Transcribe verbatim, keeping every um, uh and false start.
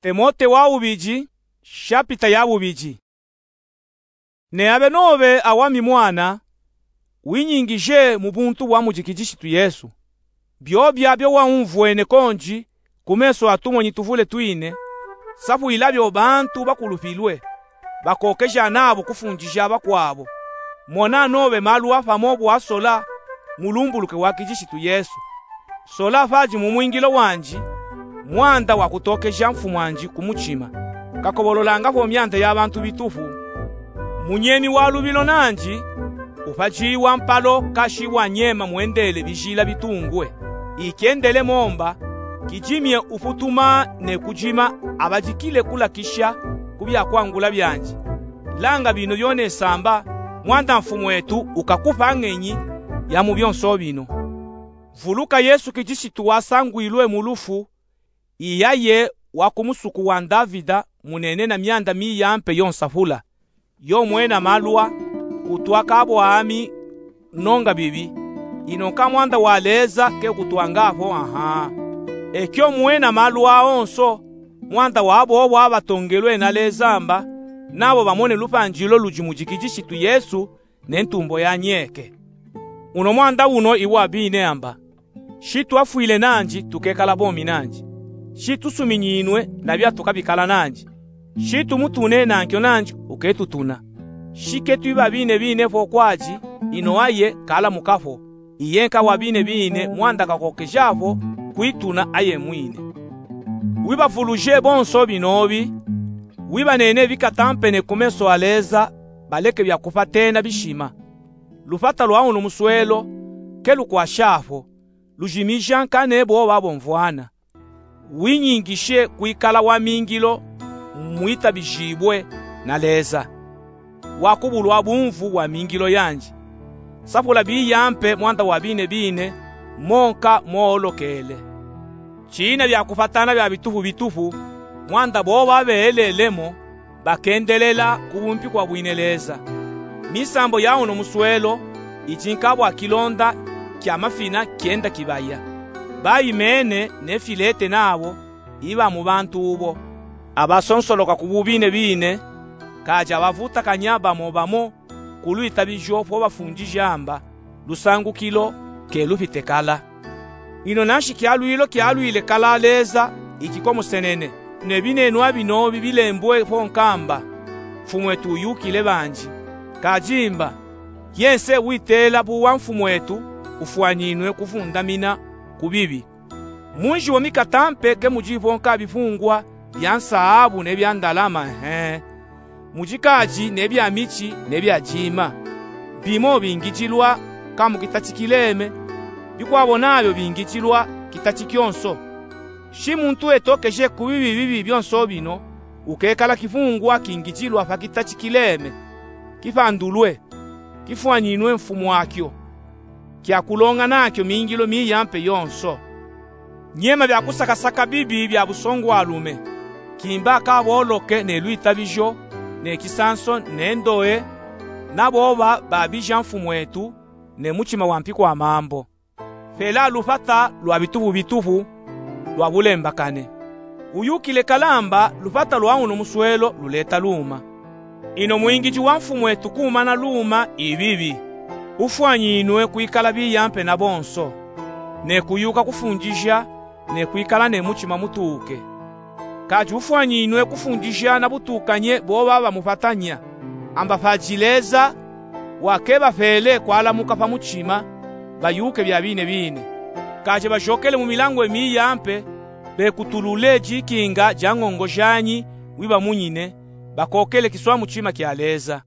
Timote wa wubidi, shapita ya bubidi. Ne abe nobe awami mwana, winyingije mu buntu bwa mudi Kidishitu Yesu. Biobia bio waumvwene kondi ku meso a tumonyi tuvule twine, safwila bio bantu bakulupilwe, bakokeja nabo kufundija bakwabo. Mona nobe malu a pamo bwa sola mulumbuluke wa Kidishitu Yesu. Sola padi mu mwingilo wandi, mwanda wa kutokeja mfumwandi ku mutima. Kakobololanga po myanda ya bantu bitupu. Munyemi wa lubilo nandi, upadi wa mpalo kashi wa nyema mwendele bijila bitungwe. Ikyendele momba, kidimye uputuma ne kudima abadikile kulakisha ku byakwangula byandi. Langa bino byona isamba, mwanda mfumwetu ukakupa ngenyi ya mu byonso bino. Vuluka Yesu Kidishitu wasangwilwe mu lufu, iyaye wa ku musuku wa Ndavida, munene na myanda miyampe yonsapula. Yo mwena malwa, kutwa ka bwami, nonga bibi. Ino nka mwanda wa Leza ke kutwanga po, aha. Ekyo mwena malwa onso, mwanda wa bobo abatongelwe na Leza mba, nabo bamone lupandilo ludi mudi Kidishitu Yesu, ne ntumbo ya nyeke. Uno mwanda uno iwa bine amba. Shi twafwile nandi, tukekala bomi nandi. Shi tusuminyinwe na bya tukabikala nandi. Shi tumutune nankyo nandi, uketutuna. Shi ke twiba bine bine po kwadi, ino aye kalamuka po. Iye nka wa bine bine mwanda kakokeja po kwituna aye mwine. Wibavuluje bonso binobi, wibanene bikatampene ku meso a Leza, baleke bya kupatena bishima. Lupata lwa uno muswelo ke lukwasha po, lujimija nka ne bobo abomvwana. Winyingishe kwikala wa mingilo mwitabijibwe na Leza, wa kubulwa bumvu bwa mingilo yandi. Sapula biyampe mwanda wa bine bine, mo nka moolokele. China bya kupatana bya bitupu bitupu, mwanda bobo abeelelemo, bakendelela ku bumpi kwa bwine Leza. Misambo ya uno muswelo idi nka bwa kilonda kya mafina kyenda kibaya. Bayimene ne Filete nabo iba mu bantu ubo. Abasonsoloka ku bubine bine, kaja bavutakanya bamo bamo ku lwitabijo po bafundija mba, lusangukilo ke lupite kala. Ino nanshi kyalwilo kyalwile kala Leza ikikomosenene, ne binenwa binobi bilembwe po nka mba, mfumwetu uyukile bandi. Kadi mba, yense witela buwa mfumwetu ufwanyinwe kufundamina ku bibi. Munji wo mikatampe ke mudi po nka bipungwa bya nsaabu ne bya ndalama, he. Mudi kadi ne bya michi ne bya dima. Bimo bingijilwa ka mu kitachikileme, bikwabo nabyo bingijilwa kitachi kyonso. Shi muntu etokeje ku bibi bibi byonso bino, ukekala kipungwa kingijilwa pa kitachikileme, kipandulwe, kifwanyinwe mfumu wakyo, kya kulonga nakyo mingilo miyampe yonso. Nyema bya kusakasaka bibi bya busongwalume, kimba ka boloke ne lwitabijo, ne kisanso, ne ndoe, na bobo babija mfumwetu, ne muchima wa mpi kwa mambo. Pela lupata lwa bitupu bitupu lwa bulembakane. Uyukile kala mba lupata lwa uno muswelo luleta luma. Ino mwingiji wa mfumwetu kumana luma ibibi, ufwanyinwe kwikala biyampe na bonso, ne kuyuka kufundija, ne kwikala ne muchima mutuuke. Kadi ufwanyinwe kufundija na butukanye bobo abamupatanya, amba padi Leza wa kebapele kwalamuka pa muchima, bayuke bya bine bine. Kadi bajokele mu milangwe miyampe, bekutulule dikinga dya ngongo janyi wibamunyine, bakokele kiswa muchima kya Leza.